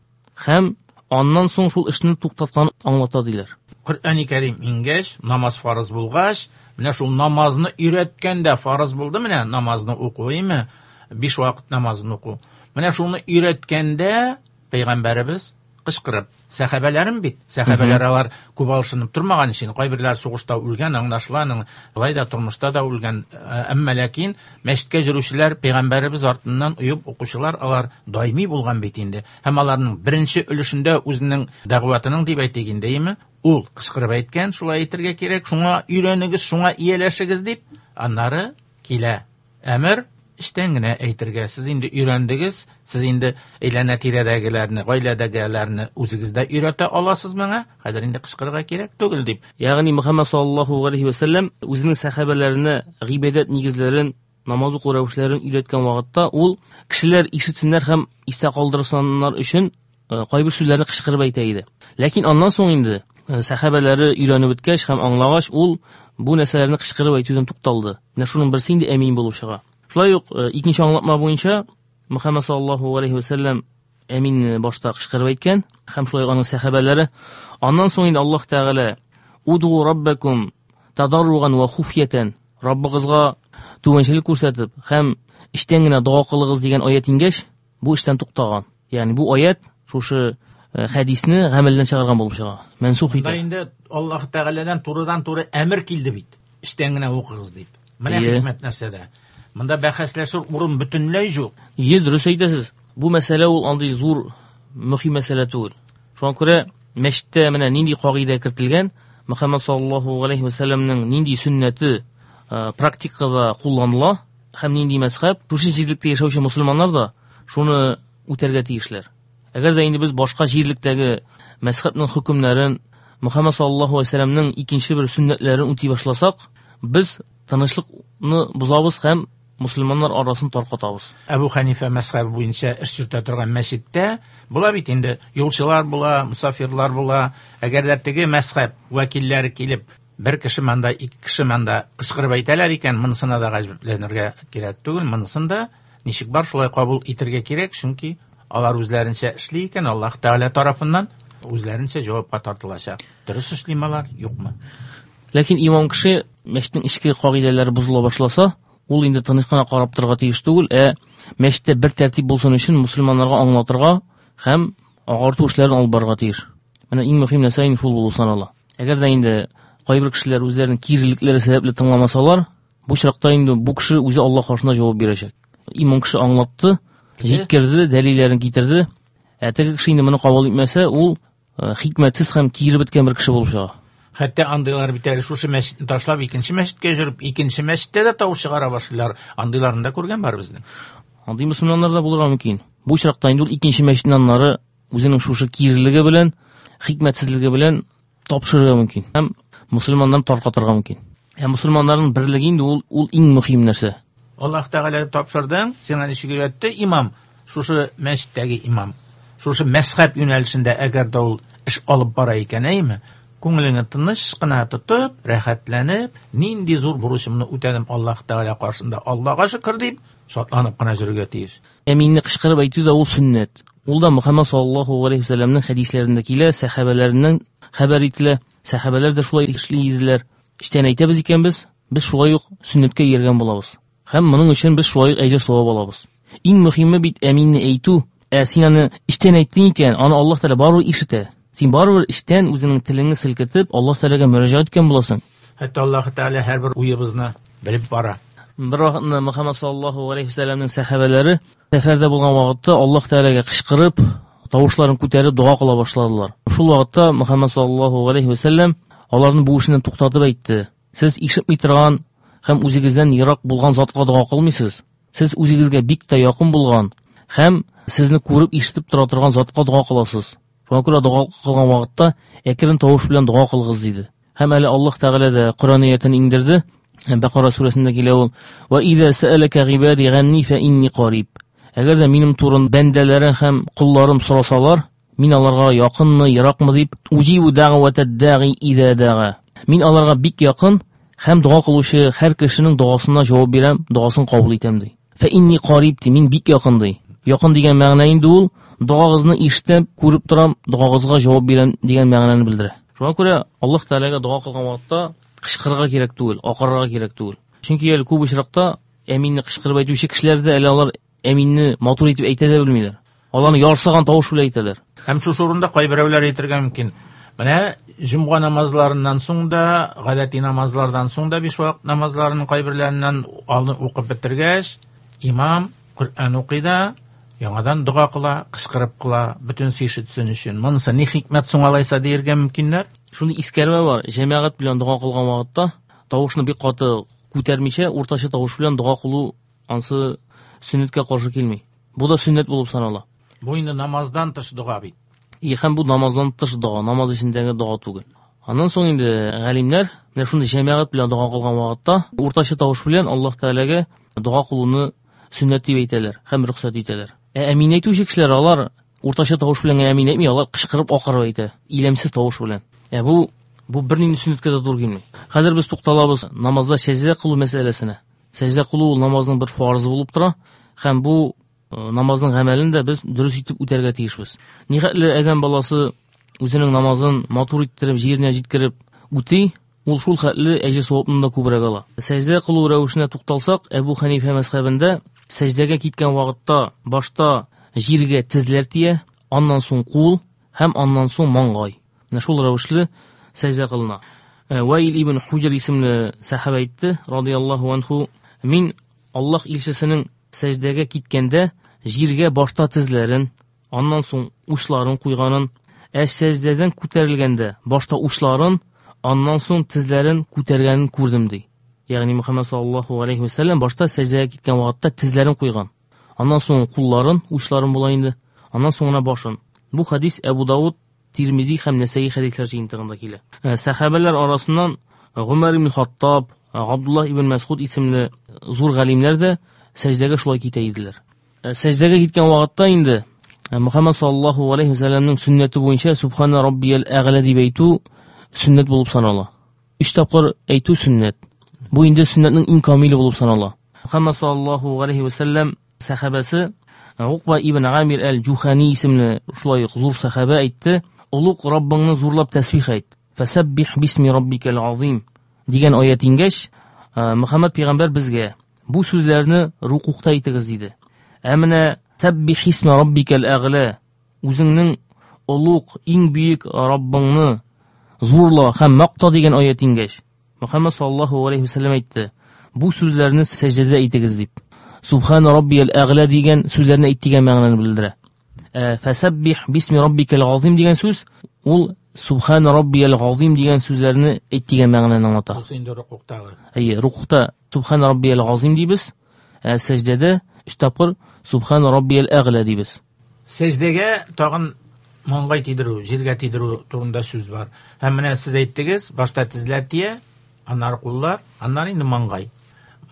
һәм аннан соң шул эшне туктатканын аңлата диләр. Коръәни Кәрим иңгәч, намаз фарыз булгач, менә шул намазны өйрәткәндә фарыз булды, менә намазны уку, әйме? 5 вакыт намазын уку. Менә шуны өйрәткәндә пәйгамбәребез кычкырып, сәхабәләрем бит, сәхабәләр алар күп алышынып тормаган өчен, кайберләр сугышта үлгән, аңлашыла, аның алай да тормышта да үлгән, әмма ләкин мәчеткә йөрүчеләр пәйгамбәребез артыннан оеп укучылар алар даими булган бит инде. Һәм аларның беренче өлешендә үзенең дәгъватының дип әйтик инде, әйеме? Ул кычкырып әйткән, шулай әйтергә кирәк, шуңа өйрәнегез, шуңа ияләшегез дип, аннары килә әмер эчтән генә әйтергә. Сез инде өйрәндегез, сез инде әйләнә-тирәдәгеләрне, гаиләдәгеләрне үзегез дә өйрәтә аласыз моңа. Хәзер инде кычкырырга кирәк түгел дип. Ягъни Мөхәммәд саллаллаһу алейхи ва сәлләм үзенең сәхабәләренә гыйбадәт нигезләрен, намаз уку рәвешләрен өйрәткән вакытта ул кешеләр ишетсеннәр һәм истә калдырсыннар өчен кайбер сүзләрне кычкырып әйтә иде. Ләкин аннан соң инде сәхабәләре өйрәнеп беткәч һәм аңлагач, ул бу нәрсәләрне кычкырып әйтүдән тукталды. Менә шуның берсе инде әмин булып чыга. Шулай ук икенче аңлатма буенча Мөхәммәд саллаллаһу алейхи ва сәлләм әминне башта кычкырып әйткән һәм шулай ук аның сәхабәләре. Аннан соң инде Аллаһ Тәгалә Уду раббакум тадарруган ва хуфьятан, Раббыгызга түбәнчелек күрсәтеп һәм эчтән генә дога кылыгыз дигән аят иңгәч, бу эштән туктаган. Ягъни бу аят шушы хәдисне гамәлдән чыгарган булып чыга. Мансух итә. Монда инде Аллаһ Тәгаләдән турыдан-туры әмер килде бит. Эчтән генә укыгыз дип. Менә хикмәт нәрсәдә. Монда бәхәсләшер урын бөтенләй юк. Ие, дөрес әйтәсез. Бу мәсьәлә ул андый зур мөһим мәсьәлә түгел. Шуңа күрә мәчеттә менә нинди кагыйдә кертелгән, Мөхәммәд саллаллаһу алейхи ва сәлләмнең нинди сөннәте практикада кулланыла һәм нинди мәзхәб, шушы җирлектә яшәүче мусульманнар да шуны үтәргә тиешләр. Әгәр дә инде без башка җирлектәге мәзхәбнең хөкемнәрен, Мөхәммәд саллаллаһу алейхи ва сәлләмнең икенче бер сөннәтләрен үти башласак, без тынычлыкны бозабыз һәм мусульманнар арасын таркатабыз. Әбу Ханифа мәзхәбе буенча эш йөртә торган мәчеттә була бит инде юлчылар була, мусафирлар була. Әгәр дә теге мәзхәб вәкилләре килеп, бер кеше монда, ике кеше монда кычкырып әйтәләр икән, монысына да гаҗәпләнергә кирәк түгел, монысын да ничек бар шулай кабул итергә кирәк, чөнки алар үзләренчә эшли икән, Аллаһ Тәгалә тарафыннан үзләренчә җавапка тартылачак. Дөрес эшлиме алар, юкмы? Ләкин имам кеше мәчетнең эчке кагыйдәләре бозыла башласа, ул инде тыныч кына карап торырга тиеш түгел, ә мәчеттә бер тәртип булсын өчен мусульманнарга аңлатырга һәм агарту эшләрен алып барырга тиеш. Менә иң мөһим нәрсә инде шул булып санала. Әгәр дә инде кайбер кешеләр үзләренең кирелекләре сәбәпле тыңламасалар, бу очракта инде бу кеше үзе Аллаһ каршында җавап бирәчәк. Имам кеше аңлатты, җиткерде, дәлилләрен китерде. Ә теге кеше инде моны кабул итмәсә, ул хикмәтсез һәм кире беткән бер кеше булып чыга. Хәтта андыйлар бит әле шушы мәчетне ташлап икенче мәчеткә йөреп, икенче мәчеттә дә тавыш чыгара башлыйлар. Андыйларын да күргән бар безнең. Андый мөселманнар да булырга мөмкин. Бу очракта инде ул икенче мәчетнең аннары үзенең шушы кирелеге белән, хикмәтсезлеге белән тапшырырга мөмкин һәм мөселманнарны таркатырга мөмкин. Ә мөселманнарның берлеге инде ул иң мөһим нәрсә. Аллаһ Тәгалә тапшырдың, сиңа ничек өйрәтте имам, шушы мәчеттәге имам, шушы мәзхәб юнәлешендә әгәр дә ул эш алып бара икән, әйме? Күңелеңне тыныч кына тотып, рәхәтләнеп, нинди зур бурычымны үтәдем Аллаһ Тәгалә каршында, Аллаһка шөкер дип, шатланып кына йөрергә тиеш. Әминне кычкырып әйтү дә ул сөннәт. Ул да Мөхәммәд саллаллаһу алейхи ва сәлләмнең хәдисләрендә килә, сәхабәләреннән хәбәр ителә. Сәхабәләр дә шулай эшли иделәр. Эчтән әйтәбез икән без, без шулай ук сөннәткә ияргән булабыз. Һәм моның өчен без шулай ук әҗер савап алабыз. Иң мөһиме бит әминне әйтү. Ә син аны эчтән әйттең икән, аны Аллаһ Тәгалә барыбер ишетә. Син барыбер эчтән үзеңнең телеңне селкетеп, Аллаһ Тәгаләгә мөрәҗәгать иткән буласың. Хәтта Аллаһ Тәгалә һәрбер уебызны белеп бара. Бер вакытны Мөхәммәд саллаллаһу алейхи ва сәлләмнең сәхабәләре сәфәрдә булган вакытта Аллаһ Тәгаләгә кычкырып, тавышларын күтәреп дога кыла башладылар. Шул вакытта Мөхәммәд саллаллаһу алейхи ва сәлләм аларны бу эшеннән туктатып әйтте. Сез ишетми торган һәм үзегездән ерак булган затка дога кылмыйсыз. Сез үзегезгә бик тә якын булган һәм сезне күреп ишетеп тора торган затка дога кыласыз. Шуңа күрә дога кылган вакытта әкрен тавыш белән дога кылыгыз диде. Һәм әле Аллаһ Тәгалә дә Коръән аятен иңдерде. Бакара сүрәсендә килә ул: Ва иза сәалака гыйбади ганни фа инни кариб. Әгәр дә минем турында бәндәләрем һәм колларым сорасалар, мин аларга якынмы, еракмы дип, уҗибу дәгъватад даги иза дага. Мин аларга бик якын һәм дога кылучы һәр кешенең догасына җавап бирәм, догасын кабул итәм ди. Фа инни кариб ди, мин бик якын ди. Якын дигән мәгънә инде ул догагызны ишетәм, күреп торам, догагызга җавап бирәм дигән мәгънәне белдерә. Шуңа күрә Аллаһ Тәгаләгә дога кылган вакытта кычкырырга кирәк түгел, акырырга кирәк түгел. Чөнки әле күп очракта әминне кычкырып әйтүче кешеләр дә әле алар әминне матур итеп әйтә дә белмиләр. Аларны ярсыган тавыш белән әйтәләр. Һәм шушы урында кайберәүләр әйтергә мөмкин. Менә җомга намазларыннан соң да, гадәти намазлардан соң да биш вакыт намазларының кайберләреннән алны укып бетергәч, имам Коръән укый да, яңадан дога кыла, кычкырып кыла, бөтен ишетсен өчен. Монысы ни хикмәт соң алайса диергә мөмкиннәр? Шундый искәрмә бар, җәмәгать белән дога кылган вакытта тавышны бик каты күтәрмичә уртача тавыш белән дога кылу ансы сөннәткә каршы килми. Бу да сөннәт булып санала. Бу инде намаздан тыш дога бит. И һәм бу намаздан тыш дога, намаз эчендәге дога түгел. Аннан соң инде галимнәр менә шундый җәмәгать белән дога кылган вакытта уртача тавыш белән Аллаһ Тәгаләгә дога кылуны сөннәт дип әйтәләр һәм рөхсәт итәләр. Ә әмин әйтүче кешеләр алар уртача тавыш белән генә әмин әйтми, алар кычкырып акырып әйтә, иләмсез тавыш белән. Ә бу бернинди сөннәткә дә туры килми. Хәзер без тукталабыз намазда сәҗдә кылу мәсьәләсенә. Сәҗдә кылу ул намазның бер фарызы булып тора һәм бу намазның гамәлен дә без дөрес итеп үтәргә тиешбез. Нихәтле адәм баласы үзенең намазын матур иттереп, җиренә җиткереп үти, ул шул хәтле әҗер савапны да күбрәк ала. Сәҗдә кылу рәвешенә тукталсак, Әбу Хәнифә мәзһәбендә сәҗдәгә киткән вакытта башта җиргә тезләр тия, аннан соң кул һәм аннан соң маңгай. Менә шул рәвешле сәҗдә кылына. Ваил ибн Хуҗр исемле сәхабә әйтте, радияллаһу анху, мин Аллаһ илчесенең сәҗдәгә киткәндә җиргә башта тезләрен, аннан соң учларын куйганын, ә сәҗдәдән күтәрелгәндә башта учларын, аннан соң тезләрен күтәргәнен күрдем ди. Ягъни Мөхәммәд саллаллаһу алейхи ва сәлләм башта сәҗдәгә киткән вакытта тезләрен куйган, аннан соң кулларын, учларын була инде, аннан соң гына башын. Бу хадис Әбу Дауд, Тирмизи һәм Нәсәи хәдисләр җыентыгында килә. Сәхабәләр арасыннан Гомәр ибн Хаттаб, Габдуллаһ ибн Мәсгуд исемле зур галимнәр дә сәҗдәгә шулай китә иделәр. Сәҗдәгә киткән вакытта инде Мөхәммәд саллаллаһу алейхи ва сәлләмнең сөннәте буенча Субхана раббиял әгълә дип әйтү сөннәт булып санала. 3 тапкыр әйтү сөннәт. Бу инде сөннәтнең иң камиле булып санала. Мөхәммәд саллаллаһу алейхи ва сәлләм сәхабәсе Уқба ибн Амир әл-Җухани исемле шулай ук зур сәхабә әйтте: "Олуг Раббыңны зурлап тәсбих әйт. Фәсәббих бисми раббикал азим" дигән аят иңгәч, Мөхәммәд пәйгамбәр безгә бу сүзләрне рукукта әйтегез диде. Ә менә сәббих исми раббикал әгълә, үзеңнең олуг, иң бөек Раббыңны зурла һәм макта дигән аят иңгәч, Мөхәммәд саллаллаһу алейхи ва сәлләм әйтте: бу сүзләрне сәҗдәдә әйтегез дип. Субхана раббиял әгълә дигән сүзләрне әйт дигән мәгънәне белдерә. Фәсәббих бисми раббикал азим дигән сүз ул Субхана раббиял азим дигән сүзләрне әйт дигән мәгънәне аңлата. Бу инде рукуктагы. Әйе, рукукта Субхана раббиял азим дибез, ә сәҗдәдә 3 тапкыр Субхана раббиял әгълә дибез. Сәҗдәгә тагын маңгай тидерү, җиргә тидерү турында сүз бар. Һәм менә сез әйттегез, башта тезләр тия, аннары куллар, аннары инде маңгай.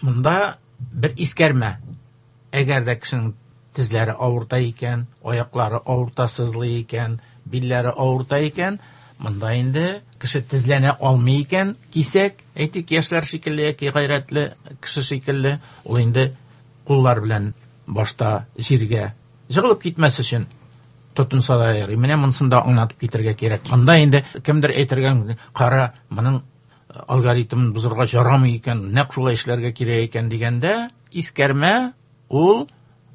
Монда бер искәрмә. Әгәр дә кешенең тезләре авырта икән, аяклары авырта, сызлый икән, билләре авырта икән, монда инде кеше тезләнә алмый икән, кисәк, әйтик, яшьләр шикелле яки гайрәтле кеше шикелле, ул инде куллар белән башта җиргә жыгылып китмәс өчен тотынса да ярый. Менә монысын да аңлатып китергә кирәк. Монда инде кемдер әйтергә мөмкин, кара, моның алгоритмын бозырга ярамый икән, нәкъ шулай эшләргә кирәк икән дигәндә, искәрмә, ул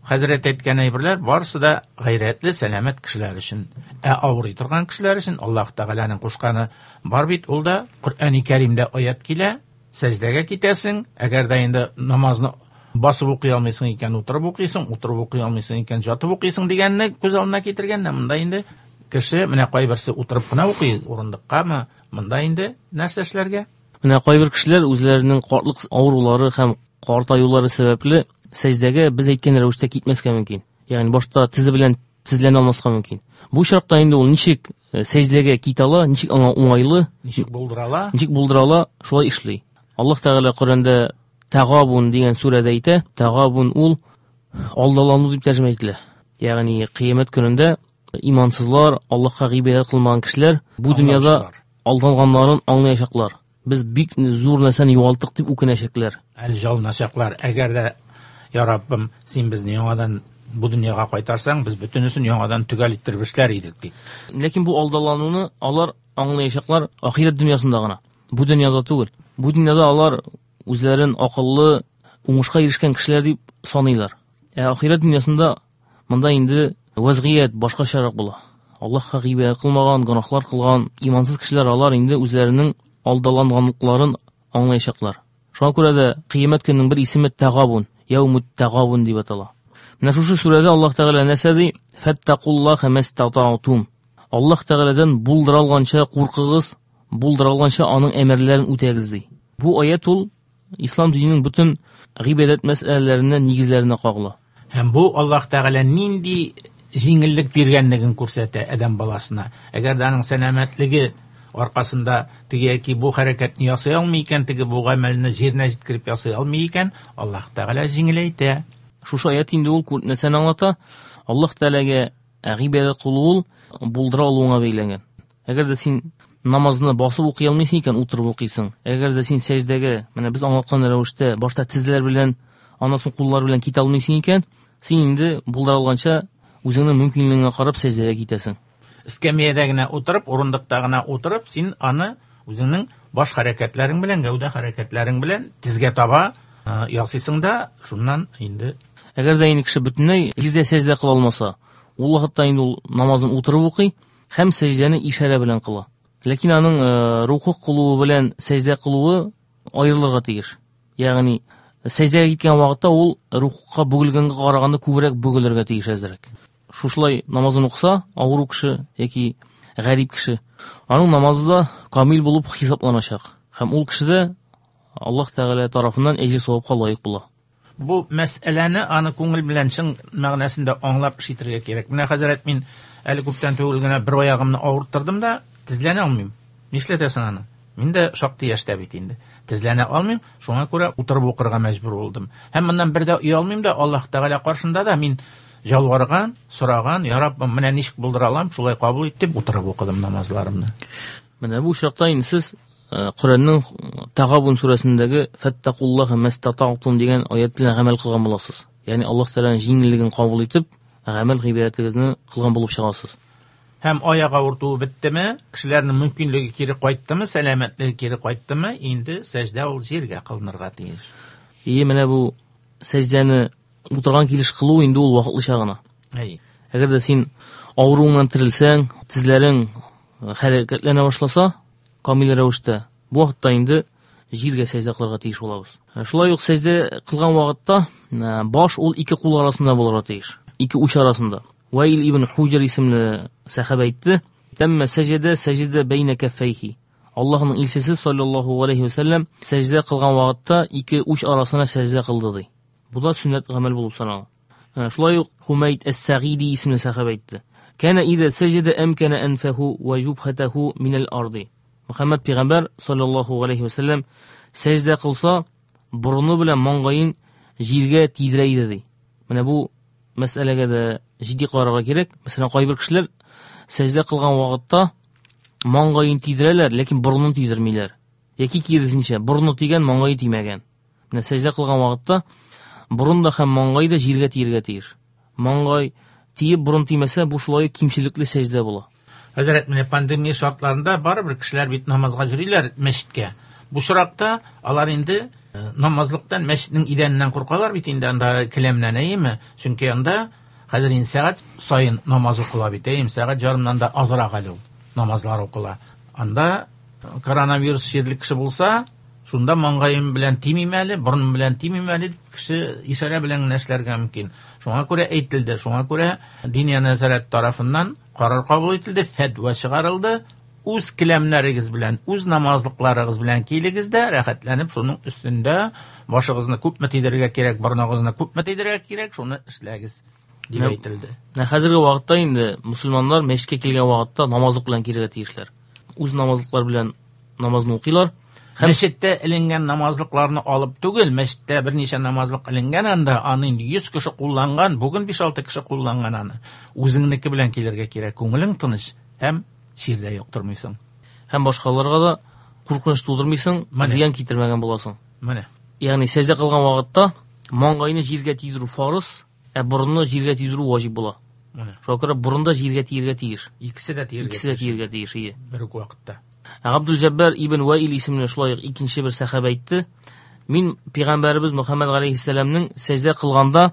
хәзрәт әйткән әйберләр барысы да гайрәтле, сәламәт кешеләр өчен. Ә авырый торган кешеләр өчен Аллаһ Тәгаләнең кушканы бар бит, ул да Коръәни Кәримдә аят килә, сәҗдәгә китәсең, әгәр дә инде намазны басып укый алмыйсың икән, утырып укыйсың, утырып укый алмыйсың икән, жатып укыйсың дигәнне күз алдына китергәннән, монда инде кеше, менә кайберсе утырып кына укый, урындыккамы, монда инде нәрсә эшләргә? Менә кайбер кешеләр үзләренең картлык авырулары һәм картаюлары сәбәпле сәҗдәгә без әйткән рәвештә китмәскә мөмкин. Ягъни башта тезе белән тезләнә алмаска мөмкин. Бу очракта инде ул ничек сәҗдәгә китә ала, ничек аңа уңайлы, ничек булдыра ала, ничек булдыра ала, шулай эшли. Аллаһ Тәгалә Коръәндә Тагабун дигән сүрәдә әйтә, Тагабун ул алдалану дип тәрҗемә ителә. Ягъни кыямәт көнендә имансызлар, Аллаһка гыйбадәт кылмаган кешеләр бу дөньяда алданганнарын аңлаячаклар. Без бик зур нәрсәне югалттык дип үкенәчәкләр. Әле жалыначаклар. Әгәр дә, я Раббым, син безне яңадан бу дөньяга кайтарсаң, без бөтенесен яңадан төгәл иттереп эшләр идек дип. Ләкин бу алдалануны алар аңлаячаклар ахирәт дөньясында гына. Бу дөньяда түгел. Бу дөньяда алар үзләрен акыллы, уңышка ирешкән кешеләр дип саныйлар. Ә ахирәт дөньясында монда инде вазгыять башкачарак була. Аллаһка гыйбадәт кылмаган, гөнаһлар кылган имансыз кешеләр алар инде үзләренең алдаланганлыкларын аңлаячаклар. Шуңа күрә дә кыямәт көненең бер исеме Тагабун, Яумут Тагабун дип атала. Менә шушы сүрәдә Аллаһ Тәгалә нәрсә ди? Фәттакуллаһа мастата'тум. Аллаһ Тәгаләдән булдыра алганча куркыгыз, булдыра алганча аның әмерләрен үтәгез ди. Бу аят ул ислам диненең бөтен гыйбадәт мәсьәләләренә, нигезләренә кагыла. Һәм бу Аллаһ Тәгалә нинди җиңеллек биргәнлеген күрсәтә адәм баласына. Әгәр дә аның сәламәтлеге аркасында теге яки бу хәрәкәтне ясый алмый икән, теге бу гамәлне җиренә җиткереп ясый алмый икән, Аллаһ Тәгалә җиңеләйтә. Шушы аят инде ул нәрсәне аңлата? Аллаһ Тәгаләгә гыйбадәт кылу ул булдыра алуыңа бәйләнгән. Әгәр дә син намазны басып укый алмыйсың икән, утырып укыйсың. Әгәр дә син сәҗдәгә, менә без аңлаткан рәвештә, башта тезләр белән, аннан соң куллар белән китә алмыйсың икән, син инде булдыра алганча үзеңнең мөмкинлегеңә карап сәҗдәгә китәсең. Эскәмиядә генә утырып, урындыкта гына утырып, син аны үзеңнең баш хәрәкәтләрең белән, гәүдә хәрәкәтләрең белән тезгә таба ясыйсың да, шуннан инде. Әгәр дә инде кеше бөтенләй җирдә сәҗдә кыла алмаса, ул вакытта инде ул намазын утырып укый һәм сәҗдәне ишарә белән кыла. Ләкин аның рукуг кылуы белән сәҗдә кылуы аерылырга тиеш. Ягъни сәҗдәгә киткән вакытта ул рукугка бөгелгәнгә караганда күбрәк бөгелергә тиеш әзрәк. Шушылай намазын укыса, авыру кеше яки гарип кеше, аның намазы да камил булып хисапланачак. Һәм ул кеше дә Аллаһ Тәгалә тарафыннан әҗер савапка лаек була. Бу мәсьәләне аны күңел белән чын мәгънәсендә аңлап эш итәргә кирәк. Менә хәзрәт, мин әле күптән түгел генә бер аягымны авырттырдым да, тезләнә алмыйм. Нишләтәсең аны? Мин дә шактый яшьтә бит инде. Тезләнә алмыйм, шуңа күрә утырып укырга мәҗбүр булдым. Һәм моннан бер дә оялмыйм да, Аллаһ Тәгалә каршында да мин ялварган, сораган, я Раббым, менә ничек булдыра алам, шулай кабул ит дип утырып укыдым намазларымны. Менә бу очракта инде сез Коръәннең Тагабун сүрәсендәге Фәттакуллаһа мәстата'тум дигән аят белән гамәл кылган буласыз. Ягъни Аллаһ Тәгаләнең җиңеллеген кабул итеп, гамәл гыйбадәтегезне кылган булып чыгасыз. Һәм аяк авыртуы беттеме, кешеләрнең мөмкинлеге кире кайттымы, сәламәтлеге кире кайттымы, инде сәҗдә ул җиргә кылынырга тиеш. И менә бу сәҗдәне утырган килеш кылу инде ул вакытлыча гына. Әй. Әгәр дә син авыруыңнан терелсәң, тезләрең хәрәкәтләнә башласа, камил рәвештә, бу вакытта инде җиргә сәҗдә кылырга тиеш булабыз. Шулай ук сәҗдә кылган вакытта баш ул ике кул арасында булырга тиеш, ике уч арасында. Ваил ибн Хуҗр исемле сәхабә әйтте: "Тәммә сәҗдә сәҗдә бәйнә кәффәйхи." Аллаһның илчесе саллаллаһу алейхи ва сәлләм сәҗдә кылган вакытта ике уч арасына сәҗдә кылды ди. Бу да сөннәт гамәл булып санала. Шулай ук Хумайд әс-Сагиди исемле сәхабә әйтте: "Кана иза сәҗдә әмкана анфаху ва җубхатаху минал арди." Мөхәммәд пәйгамбәр саллаллаһу алейхи ва сәлләм сәҗдә кылса, борыны белән маңгаен җиргә тидерә иде ди. Менә бу мәсьәләгә дә җитди карарга кирәк. Мәсәлән, кайбер кешеләр сәҗдә кылган вакытта маңгаен тидерәләр, ләкин борынын тидермиләр. Яки киресенчә, борыны тигән, маңгае тимәгән. Менә сәҗдә кылган вакытта борын да һәм маңгай да җиргә тиергә тиеш. Маңгай тиеп борын тимәсә, бу шулай кимчелекле сәҗдә була. Хәзрәт, менә пандемия шартларында барыбер кешеләр бит намазга йөриләр мәчеткә. Бу очракта алар инде намазлыктан, мәчетнең идәненнән куркалар бит инде анда келәмнән, әйеме? Чөнки анда хәзер инде сәгать саен намаз укыла бит, әйеме? Сәгать ярымнан да азрак әле ул намазлар укыла. Анда коронавирус чирле кеше булса, шунда маңгаем белән тимим әле, борыным белән тимим әле дип кеше ишарә белән генә эшләргә мөмкин. Шуңа күрә әйтелде, шуңа күрә Диния нәзарәт тарафыннан карар кабул ителде, фәтва чыгарылды. Үз келәмнәрегез белән, үз намазлыкларыгыз белән килегез дә, рәхәтләнеп шуның өстендә башыгызны күпме тидерергә кирәк, борыныгызны күпме тидерергә кирәк, шуны эшләгез дип әйтелде. Менә хәзерге вакытта инде мусульманнар мәчеткә килгән вакытта намазлык белән килергә тиешләр. Үз намазлыклар белән намазны укыйлар. Һәм мәчеттә эленгән намазлыкларны алып түгел, мәчеттә берничә намазлык эленгән анда, аны инде 100 кеше кулланган, бүген 5-6 кеше кулланган аны. Үзеңнеке белән килергә кирәк, күңелең тыныч һәм чирдә йоктырмыйсың. Һәм башкаларга да куркыныч тудырмыйсың, зыян китермәгән буласың. Менә. Ягъни сәҗдә кылган вакытта маңгайны җиргә тидерү фарыз, ә борынны җиргә тидерү ваҗиб була. Менә. Шуңа күрә борын да җиргә тиергә тиеш. Икесе дә тиергә. Икесе дә тиергә тиеш, ие. Бер үк вакытта. Габдул-Җәббар ибн Ваил исемле шулай ук икенче бер сәхабә әйтте: "Мин пәйгамбәребез Мөхәммәд галәйһиссәламнең сәҗдә кылганда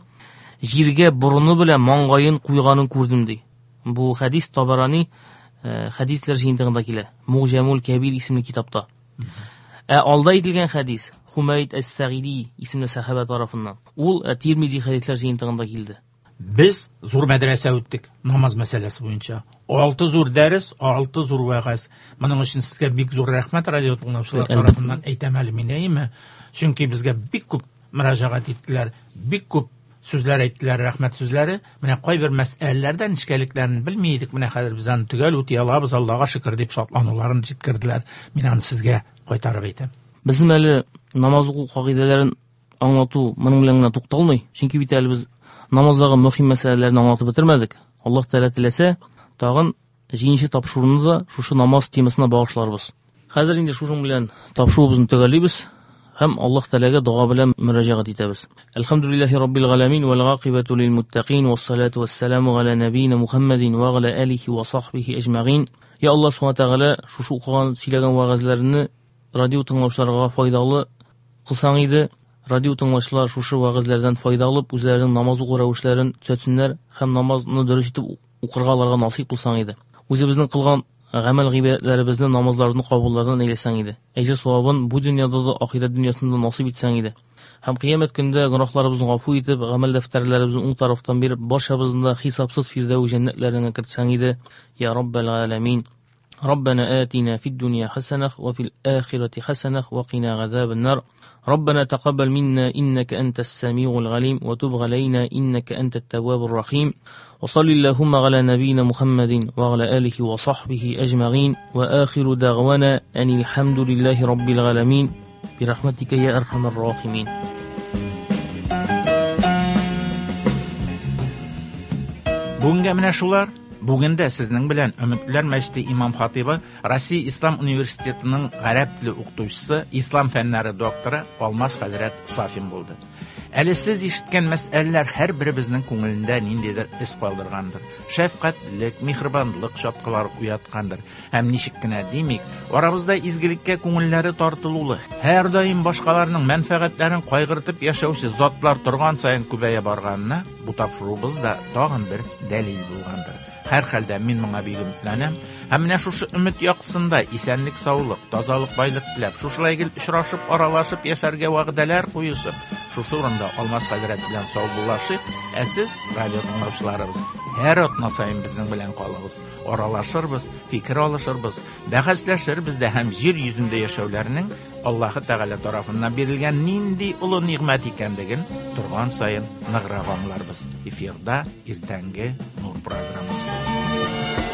җиргә борыны белән маңгаен куйганын күрдем" ди. Бу хәдис Табарани хәдисләр җыентыгында килә. Муҗамул Кәбир исемле китапта. Ә алда әйтелгән хәдис Хумайд әс-Сагиди исемле сәхабә тарафыннан. Ул Тирмизи хәдисләр җыентыгында килде. Без зур мәдрәсә үттек намаз мәсьәләсе буенча. 6 зур дәрес, 6 зур вәгазь. Моның өчен сезгә бик зур рәхмәт радио тыңлаучылар тарафыннан әйтәм әле мин, әйеме? Чөнки безгә бик күп мөрәҗәгать иттеләр, бик күп сүзләр әйттеләр, рәхмәт сүзләре. Менә кайбер мәсьәләләрдә нечкәлекләрен белми идек, менә хәзер без аны төгәл үти алабыз, Аллага шөкер дип шатлануларын җиткерделәр. Мин аны сезгә кайтарып әйтәм. Безнең әле намаз уку кагыйдәләрен аңлату моның белән генә тукталмый. Чөнки бит әле без намаздагы мөһим мәсьәләләрне аңлатып бетермәдек. Аллаһ Тәгалә теләсә, тагын җиденче тапшыруны да шушы намаз темасына багышларбыз. Хәзер инде шушың белән тапшыруыбызны төгәллибез һәм Аллаһ Тәгаләгә дога белән мөрәҗәгать итәбез. Әлхәмдүлиллаһи раббил галәмин вәл гакыйбату лил муттакин вассалату вассаламу галя набийна Мухаммадин ва галя алихи ва сахбихи әҗмәгин. Я Аллаһ Субхана Тәгалә, шушы укыган, сөйләгән вәгазьләрне радио тыңлаучыларга файдалы кылсаң иде. Радио тыңлаучылар шушы вәгазьләрдән файда алып, үзләренең намаз уку рәвешләрен төзәтсеннәр һәм намазны дөрес итеп укырга аларга насыйп кылсаң иде. Үзебезнең кылган гамәл гыйбадәтләребезне, намазларны кабуллардан әйләсәң иде. Әҗер савабын бу дөньяда да, ахирәт дөньясында насыйп итсәң иде. Һәм кыямәт көндә гөнаһларыбызны гафу итеп, гамәл дәфтәрләребезне уң тарафтан биреп, барчабызны да хисапсыз фирдәү җәннәтләреңә кертсәң иде. Я Раббәл галәмин. ربنا آتنا في الدنيا حسنة وفي الآخرة حسنة وقنا عذاب النار. ربنا تقبل منا إنك أنت السميع العليم وتب علينا إنك أنت التواب الرحيم. وصل اللهم على نبينا محمد وعلى آله وصحبه أجمعين. وآخر دعوانا أن الحمد لله رب العالمين برحمتك يا أرحم الراحمين. Бүгенгә менә шулар. Бүген дә сезнең белән Өметләр мәчете имам хатибы, Россия Ислам университетының гарәп теле укытучысы, ислам фәннәре докторы Алмаз хәзрәт Сафин булды. Әле сез ишеткән мәсьәләләр һәр беребезнең күңелендә ниндидер эз калдыргандыр. Шәфкатьлек, миһербанлык чаткылары уяткандыр. Һәм ничек кенә димик, арабызда изгелеккә күңелләре тартылулы, һәр даим башкаларның мәнфәгатьләрен кайгыртып яшәүче затлар торган саен күбәя барганына бу тапшыруыбыз да тагын бер дәлил булгандыр. Һәр хәлдә мин моңа бик өметләнәм. Һәм менә шушы өмет яктысында исәнлек, саулык, тазалык, байлык теләп, шушылай гел очрашып, аралашып яшәргә вәгъдәләр куешып, шушы урында Алмаз хәзрәт белән саубуллашыйк. Ә сез, радио тыңлаучыларыбыз, һәр атна саен безнең белән калыгыз. Аралашырбыз, фикер алышырбыз, бәхәсләшербез дә һәм җир йөзендә яшәүләрнең Аллаһы Тәгалә тарафыннан бирелгән нинди олы нигъмәт икәнлеген торган саен ныграк аңларбыз. Эфирда иртәнге Нур программасы.